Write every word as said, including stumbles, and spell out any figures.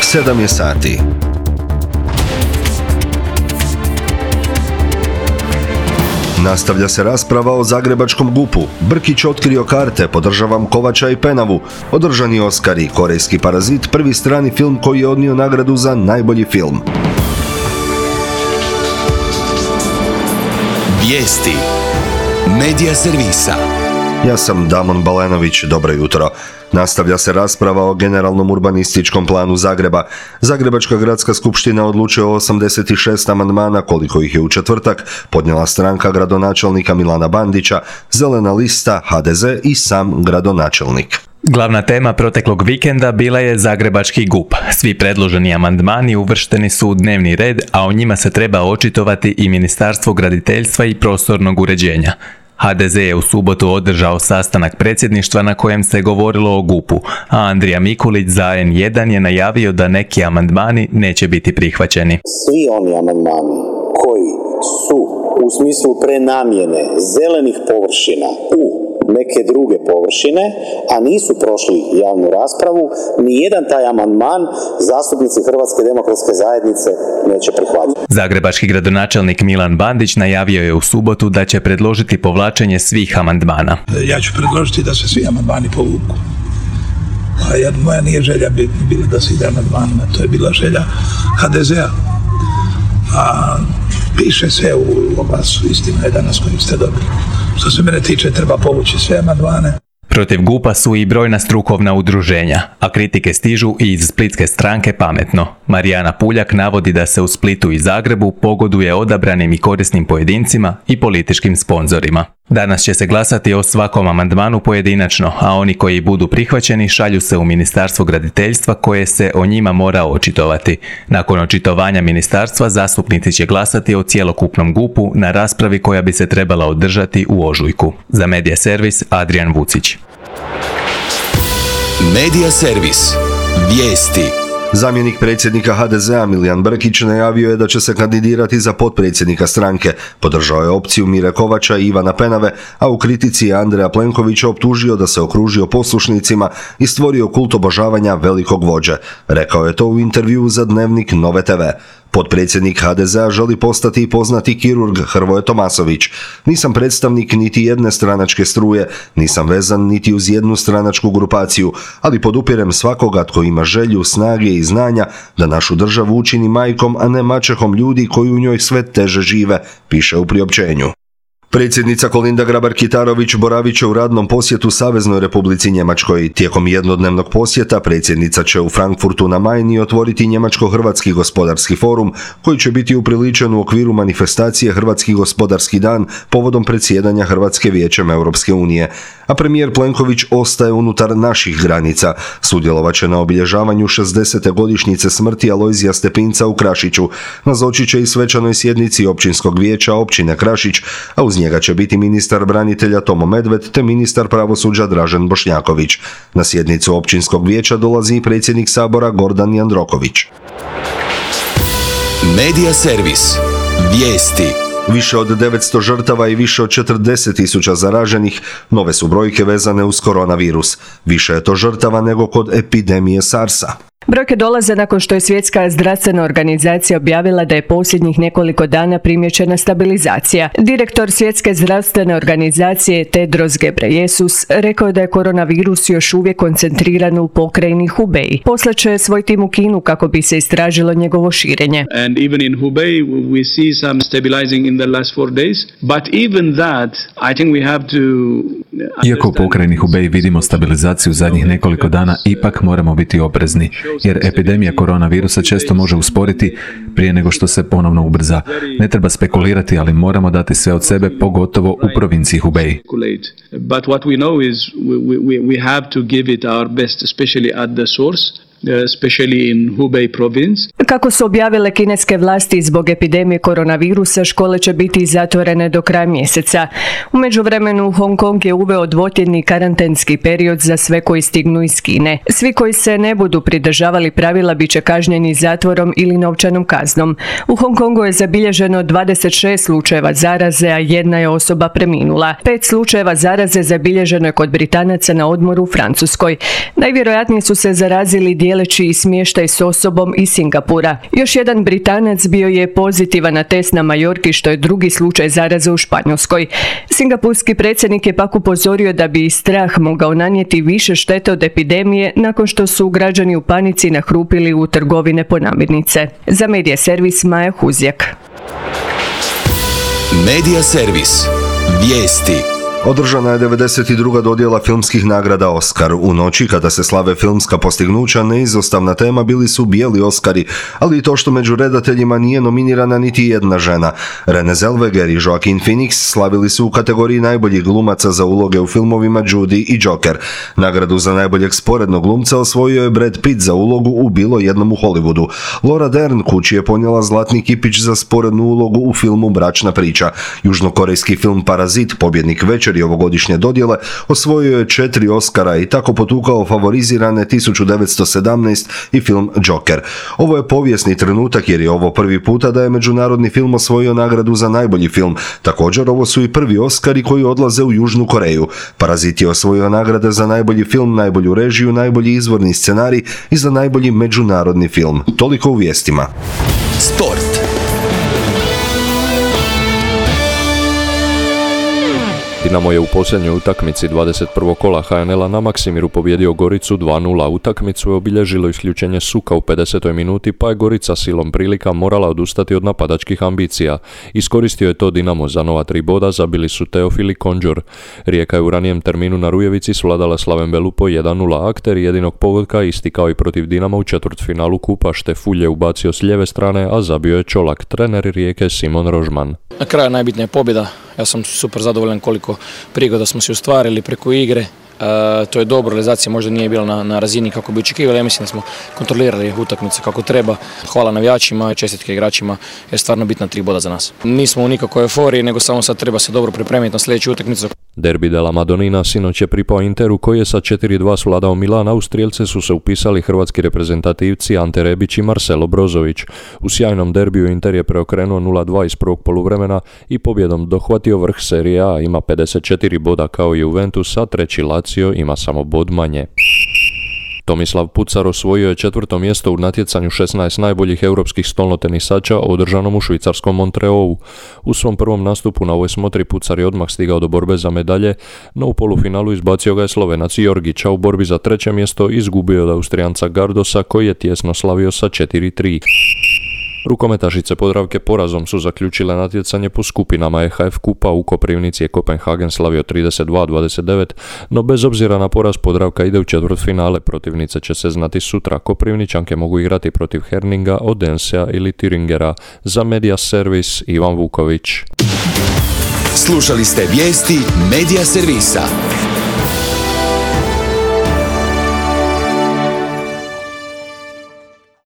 sedam je sati. Nastavlja se rasprava o zagrebačkom gupu. Brkić otkrio karte, podržavam Kovača i Penavu. Održani Oskari, Korejski parazit, prvi strani film koji je odnio nagradu za najbolji film. Vijesti Medija servisa. Ja sam Damon Balenović, dobro jutro. Nastavlja se rasprava o generalnom urbanističkom planu Zagreba. Zagrebačka gradska skupština odlučuje o osamdeset šest amandmana, koliko ih je u četvrtak podnijela stranka gradonačelnika Milana Bandića, Zelena lista, ha de ze i sam gradonačelnik. Glavna tema proteklog vikenda bila je zagrebački gup. Svi predloženi amandmani uvršteni su u dnevni red, a o njima se treba očitovati i Ministarstvo graditeljstva i prostornog uređenja. ha de ze je u subotu održao sastanak predsjedništva na kojem se govorilo o gupu, a Andrija Mikulić za en jedan je najavio da neki amandmani neće biti prihvaćeni. Svi oni amandmani koji su u smislu prenamjene zelenih površina u neke druge površine, a nisu prošli javnu raspravu, nijedan taj amandman zastupnici Hrvatske demokratske zajednice neće prihvatiti. Zagrebački gradonačelnik Milan Bandić najavio je u subotu da će predložiti povlačenje svih amandmana. Ja ću predložiti da se svi amandmani povuku. A ja, moja nije želja bila da se ide amandmanima, to je bila želja ha de zea. A piše sve u oglasu, istina je danas koju ste dobili. Što se mene tiče, treba povući sve amandmane. Protiv gupa su i brojna strukovna udruženja, a kritike stižu i iz splitske stranke Pametno. Marijana Puljak navodi da se u Splitu i Zagrebu pogoduje odabranim i korisnim pojedincima i političkim sponzorima. Danas će se glasati o svakom amandmanu pojedinačno, a oni koji budu prihvaćeni šalju se u Ministarstvo graditeljstva koje se o njima mora očitovati. Nakon očitovanja ministarstva zastupnici će glasati o cjelokupnom gupu na raspravi koja bi se trebala održati u ožujku. Za Medija servis Adrian Vucić. Medija servis. Vijesti. Zamjenik predsjednika ha de zea Milijan Brkić najavio je da će se kandidirati za potpredsjednika stranke. Podržao je opciju Mire Kovača i Ivana Penave, a u kritici je Andreja Plenkovića optužio da se okružio poslušnicima i stvorio kult obožavanja velikog vođe. Rekao je to u intervjuu za Dnevnik Nove te ve. Potpredsjednik ha de zea želi postati i poznati kirurg Hrvoje Tomasović. Nisam predstavnik niti jedne stranačke struje, nisam vezan niti uz jednu stranačku grupaciju, ali podupirem svakoga tko ima želju, snage i znanja da našu državu učini majkom, a ne maćehom ljudi koji u njoj sve teže žive, piše u priopćenju. Predsjednica Kolinda Grabar-Kitarović boravit će u radnom posjetu Saveznoj Republici Njemačkoj. Tijekom jednodnevnog posjeta predsjednica će u Frankfurtu na Majni otvoriti Njemačko-Hrvatski gospodarski forum, koji će biti upriličen u okviru manifestacije Hrvatski gospodarski dan povodom predsjedanja Hrvatske Vijećem Europske unije. A premijer Plenković ostaje unutar naših granica. Sudjelovat će na obilježavanju šezdeset godišnjice smrti Alojzija Stepinca u Krašiću. Nazočit će i svečanoj sjednici općinskog vijeća općine Krašić, a uz njega će biti ministar branitelja Tomo Medved te ministar pravosuđa Dražen Bošnjaković. Na sjednicu općinskog vijeća dolazi i predsjednik Sabora Gordan Jandroković. Medija servis. Vijesti. Više od devetsto žrtava i više od četrdeset tisuća zaraženih, nove su brojke vezane uz koronavirus. Više je to žrtava nego kod epidemije sarsa. Brojke dolaze nakon što je Svjetska zdravstvena organizacija objavila da je posljednjih nekoliko dana primijećena stabilizacija. Direktor Svjetske zdravstvene organizacije Tedros Ghebreyesus rekao je da je koronavirus još uvijek koncentriran u pokrajini Hubei. Poslaće svoj tim u Kinu kako bi se istražilo njegovo širenje. And even in Hubei we see some stabilizing in the last four days, but even that I think we have to. Iako u pokrajini Hubei vidimo stabilizaciju zadnjih nekoliko dana, ipak moramo biti oprezni, jer epidemija koronavirusa često može usporiti prije nego što se ponovno ubrza. Ne treba spekulirati, ali moramo dati sve od sebe, pogotovo u provinciji Hubei. But what we know is we, we, we have to give it our best, especially at the source. Especially in Hubei province. Kako su objavile kineske vlasti, zbog epidemije koronavirusa škole će biti zatvorene do kraja mjeseca. U međuvremenu Hong Kong je uveo dvotjedni karantenski period za sve koji stignu iz Kine. Svi koji se ne budu pridržavali pravila bit će kažnjeni zatvorom ili novčanom kaznom. U Hong Kongu je zabilježeno dvadeset šest slučajeva zaraze, a jedna je osoba preminula. Pet slučajeva zaraze zabilježeno je kod Britanaca na odmoru u Francuskoj. Najvjerojatnije su se zarazili dijeli dijeleći i smještaj s osobom iz Singapura. Još jedan Britanac bio je pozitivan na test na Majorki, što je drugi slučaj zaraze u Španjolskoj. Singapurski predsjednik je pak upozorio da bi strah mogao nanijeti više štete od epidemije nakon što su građani u panici nahrupili u trgovine po namirnice. Za Medija servis Maja Huzjak. Medija servis. Vijesti. Održana je devedeset druga dodjela filmskih nagrada Oscar. U noći kada se slave filmska postignuća, neizostavna tema bili su bijeli Oscari, ali i to što među redateljima nije nominirana niti jedna žena. Renée Zellweger i Joaquin Phoenix slavili su u kategoriji najboljih glumaca za uloge u filmovima Judy i Joker. Nagradu za najboljeg sporednog glumca osvojio je Brad Pitt za ulogu u Bilo jednom u Hollywoodu. Laura Dern kući je ponijela zlatni kipić za sporednu ulogu u filmu Bračna priča. Južnokorejski film Parazit, pobjednik večeri ovogodišnje dodjele, osvojio je četiri Oscara i tako potukao favorizirane tisuću devetsto sedamnaest i film Joker. Ovo je povijesni trenutak jer je ovo prvi puta da je međunarodni film osvojio nagradu za najbolji film. Također ovo su i prvi Oscari koji odlaze u Južnu Koreju. Parazit je osvojio nagrade za najbolji film, najbolju režiju, najbolji izvorni scenarij i za najbolji međunarodni film. Toliko u vijestima. Sport. Dinamo je u posljednjoj utakmici dvadeset prvog kola ha en el-a na Maksimiru pobjedio Goricu dva nula. Utakmicu je obilježilo isključenje Suka u pedesetoj minuti, pa je Gorica silom prilika morala odustati od napadačkih ambicija. Iskoristio je to Dinamo, za nova tri boda zabili su Teofil i Konđor. Rijeka je u ranijem terminu na Rujevici svladala Slaven Velu po jedan nula. Akter jedinog pogotka, isti kao i protiv Dinama u četvrtfinalu kupa, Štefulj je ubacio s lijeve strane, a zabio je Čolak. Trener Rijeke Simon Rožman. Na kraju najbitnija pobjeda. Ja sam super zadovoljan koliko prigoda smo si ostvarili preko igre. E, to je dobro, realizacija možda nije bila na, na razini kako bi očekivali. Ja mislim da smo kontrolirali utakmice kako treba. Hvala navijačima i čestitke igračima, jer stvarno bitna tri boda za nas. Nismo u nikakvoj euforiji, nego samo sad treba se dobro pripremiti na sljedeću utakmicu. Derbi della Madonnina sinoć je pripao Interu koji je sa četiri dva svladao Milan, a u strijelce su se upisali hrvatski reprezentativci Ante Rebić i Marcelo Brozović. U sjajnom derbiju Inter je preokrenuo nula dva iz prvog poluvremena i pobjedom dohvatio vrh Serije A, ima pedeset četiri boda kao i Juventus, a treći Lazio ima samo bod manje. Tomislav Pucar osvojio je četvrto mjesto u natjecanju šesnaest najboljih europskih stolnotenisača održanom u švicarskom Montrealu. U svom prvom nastupu na ovoj smotri Pucar je odmah stigao do borbe za medalje, no u polufinalu izbacio ga je Slovenac Jorgić, a u borbi za treće mjesto izgubio od Austrijanca Gardosa koji je tjesno slavio sa četiri tri. Rukometašice Podravke porazom su zaključile natjecanje po skupinama E H F kupa. U Koprivnici je Kopenhagen slavio trideset dva dvadeset devet, no bez obzira na poraz Podravka ide u četvrtfinale. Protivnice će se znati sutra. Koprivničanke mogu igrati protiv Herninga, Odensea ili Thüringera. Za Medija servis Ivan Vuković. Slušali ste vijesti Medija servisa.